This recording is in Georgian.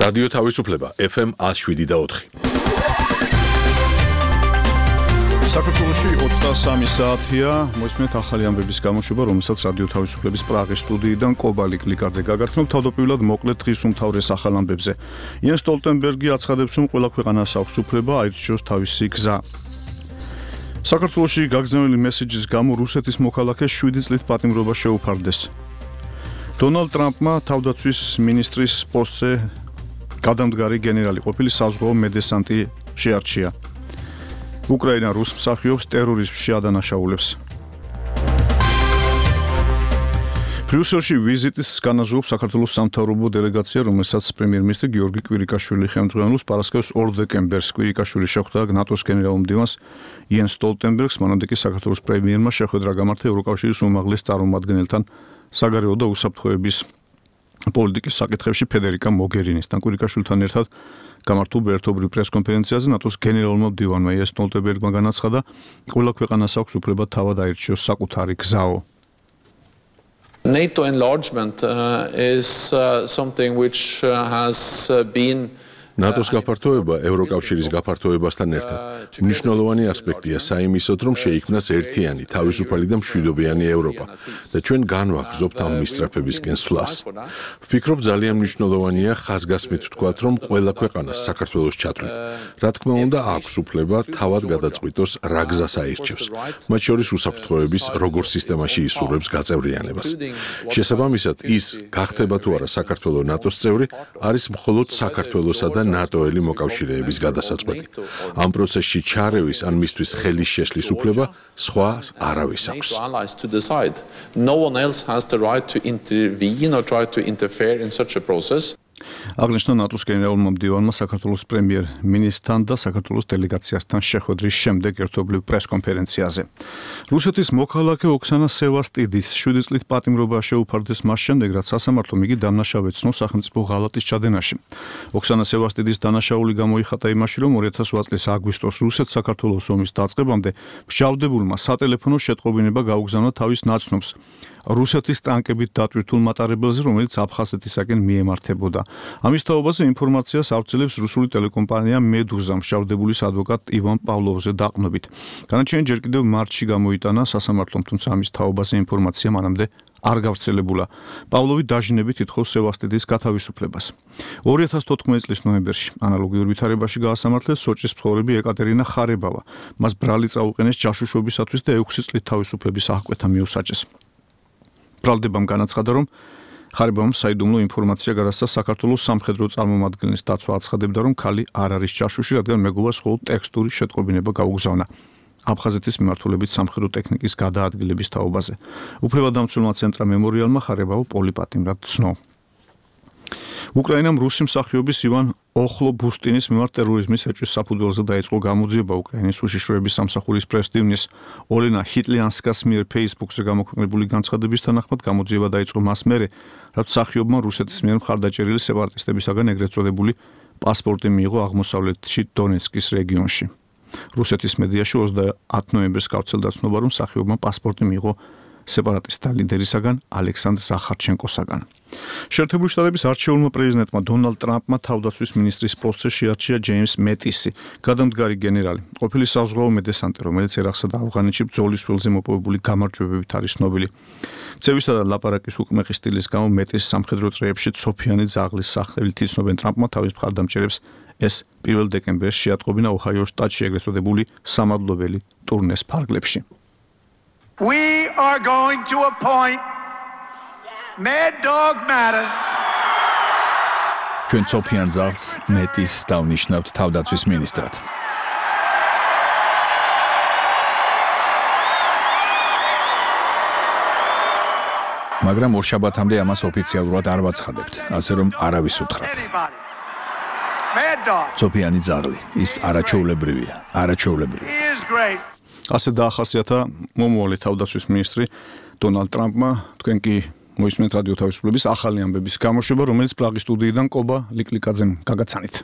რადიო თავისუფლება FM 107.4. საქართველოში 23 საათია, მოისმენთ ახალი ამბების გამოშვება, რომელსაც რადიო თავისუფლების პრაღის სტუდიიდან კობა ლიკლიკაძე გაგაცნობ. თავდაპირველად მოკლედ დღის უმთავრეს ახალ ამბებზე. იენ სტოლტენბერგი აცხადებს, რომ ყველა ქვეყანას აქვს უფლება აირჩიოს თავისი გზა. საქართველოში გაგზავნილი მესეჯის გამო რუსეთის მოქალაქეს 7 წლით პატიმრობა შეუფარდეს. დონალდ ტრამპმა თავდაცვის მინისტრის პოსტზე გადამდგარი გენერალი ყოფილი საზღვაო მედესანტი შეარჩია. უკრაინა რუს მსახიობს ტერორიზმში ადანაშაულებს. ბრიუსელში ვიზიტის განაზღაურებს საქართველოს სამთავრობო დელეგაცია, რომელსაც პრემიერ-მინისტრი გიორგი კვირიკაშვილი ხელმძღვანელობს. პარასკევს 2 დეკემბერს კვირიკაშვილი შეხვდა ნატოს გენერალ-მდივანს იენ სტოლტენბერგს, მანამდე კი საქართველოს პრემიერმა შეხვედრა გამართა ევროკავშირის უმაღლეს წარმომადგენელთან საგარეო და უსაფრთხოების პოლიტიკის საკითხებში ფედერიკა მოგერინისთან. კვირიკაშვილთან ერთად გამართულ ერთობრივ პრესკონფერენციაზე ნატოს გენერალურმა მდივანმა იენ სტოლტენბერგმა განაცხადა, ყველა ქვეყანას აქვს უფლება თავად აირჩიოს საკუთარი გზაო. NATO enlargement is something which has been ნატოს გაფართოება ევროკავშირის გაფართოებასთან ერთად მნიშვნელოვანი ასპექტია საიმისოდ, რომ შეიქმნას ერთიანი, თავისუფალი და მშვიდობიანი ევროპა და ჩვენ განვაგრძობთ ამ მისწრაფებისკენ სვლას. ვფიქრობ, ძალიან მნიშვნელოვანია ხაზგასმით ვთქვათ, რომ ყველა ქვეყანას საქართველოს ჩათვლით. რა თქმა უნდა, აქვს უფლება თავად გადაწყვიტოს რა გზას აირჩევს, მათ შორის უსაფრთხოების როგორ სისტემაში ისურვებს გაწევრიანებას. შესაბამისად, ის გახდება თუ არა საქართველოს ნატოს წევრი, არის მხოლოდ საქართველოსა და ნატოელი მოკავშირეების გადასაწყვეტი. ამ პროცესში ჩარევის ან მისთვის ხელის შეშლის უფლება სხვა არავის აქვს. No one else has the right to intervene or try to interfere in such a process. აღნიშნა ნატოს გენერალურმა მდივანმა საქართველოს პრემიერ-მინისტრთან და საქართველოს დელეგაციასთან შეხვედრის შემდეგ ერთობლივ პრესკონფერენციაზე. რუსეთის მოქალაქე ოქსანა სევასტიდის 7 წლით პატიმრობა შეუფარდეს მას შემდეგ, რაც სასამართლომ იგი დამნაშავედ ცნო სახელმწიფო ღალატის ჩადენაში. ოქსანა სევასტიდის დანაშაული გამოიხატა იმაში, რომ 2008 წლის აგვისტოს რუსეთ-საქართველოს ომის დაწყებამდე მსჯავრდებულმა სატელეფონო შეტყობინება გაუგზავნა თავის ნაცნობს რუსეთის ტანკებით დატვირთულ მატარებელზე, რომელიც აფხაზეთისაკენ მიემართებოდა. ამის თაობაზე ინფორმაციას ავრცელებს რუსული ტელეკომპანია მედუზა მსჯავრდებულის ადვოკატ ივან პავლოვზე დაყრდნობით. განაჩენი ჯერ კიდევ მარტში გამოიტანა სასამართლომ, თუმცა ამის თაობაზე ინფორმაცია მანამდე არ გავრცელებულა. პავლოვი დაჟინებით ითხოვს სევასტიდის გათავისუფლებას. 2014 წლის ნოემბერში ანალოგიურ ვითარებაში გაასამართლეს სოჭის მცხოვრები ეკატერინა ხარებავა. მას ბრალი წაუყენეს ჯაშუშობისათვის და 6 წლით თავისუფლების აღკვეთა მიუსაჯეს. ბრალდებამ განაცხადა, რომ ხარებავამ საიდუმლო ინფორმაცია გადასცა საქართველოს სამხედრო წარმომადგენლის დაცვა აცხადებდა, რომ ქალი არ არის ჯაშუში, რადგან მეგობარს მხოლოდ ტექსტური შეტყობინება გაუგზავნა აფხაზეთის მიმართულებით სამხედრო ტექნიკის გადაადგილების თაობაზე. უფლებადამცველმა ცენტრა მემორიალმა ხარებავ პოლიპატიმრად ცნო. უკრაინამ რუსი მსახიობის ივან ოხლობუსტინის მიმართ ტერორიზმის ეჭვის საფუძველზე დაიწყო გამოძიება. უკრაინის უშიშროების სამსახურის პრეს-დივნის ოლენა ჰიტლიანსკას მიერ Facebook-ზე გამოქვეყნებული განცხადების თანახმად გამოძიება დაიწყო მას მერე, რაც მსახიობმა რუსეთის მიერ მხარდაჭერილი სეპარატისტებისაგან ეგრეთ წოდებული პასპორტი მიიღო აღმოსავლეთში დონეცკის რეგიონში. რუსეთის მედიაში 30 ნოემბერს გავრცელდა ცნობა, რომ მსახიობმა პასპორტი მიიღო სეპარატისტთა ლიდერისაგან ალექსანდრ ზახარჩენკოსაგან. შეერთებული შტატების არჩეულმა პრეზიდენტმა დონალდ ტრამპმა თავდაცვის მინისტრის პოსტზე შეარჩია ჯეიმს მეტისი, გადამდგარი გენერალი, ყოფილი საზღვაო მედესანტი, რომელიც ერაყსა და ავღანეთში ბრძოლის ველზე მოპოვებული გამარჯვებებით არის ცნობილი. ცევისა და ლაპარაკის უკმეხი სტილის გამო მეტის სამხედრო წრეებში ცოფიანი ძაღლის სახელით იცნობენ. ტრამპმა თავის მხარდამჭერებს ეს 1 დეკემბერს შეატყობინა ოჰაიოს შტატში ეგრეთ წოდებული სამადლობელი ტურნეს ფარგლებში. We are going to appoint Mad Dog Mattis. ჩვენ ცოფიან ძაღლს მეტის დავნიშნავთ თავდაცვის მინისტრად. მაგრამ ორშაბათამდე ამას ოფიციალურად არ ვაცხადებთ, ასე რომ არავის უთხრათ. ცოფიანი ძაღლი, ის არაჩვეულებრივია, არაჩვეულებრივი. ასე დაახასიათა მომავალი თავდაცვის მინისტრი დონალდ ტრამპმა. თქვენ კი მოისმენთ რადიო თავისუფლების ახალი ამბების გამოშვება, რომელიც პრაღის სტუდიიდან კობა ლიკლიკაძემ გაგაცანით.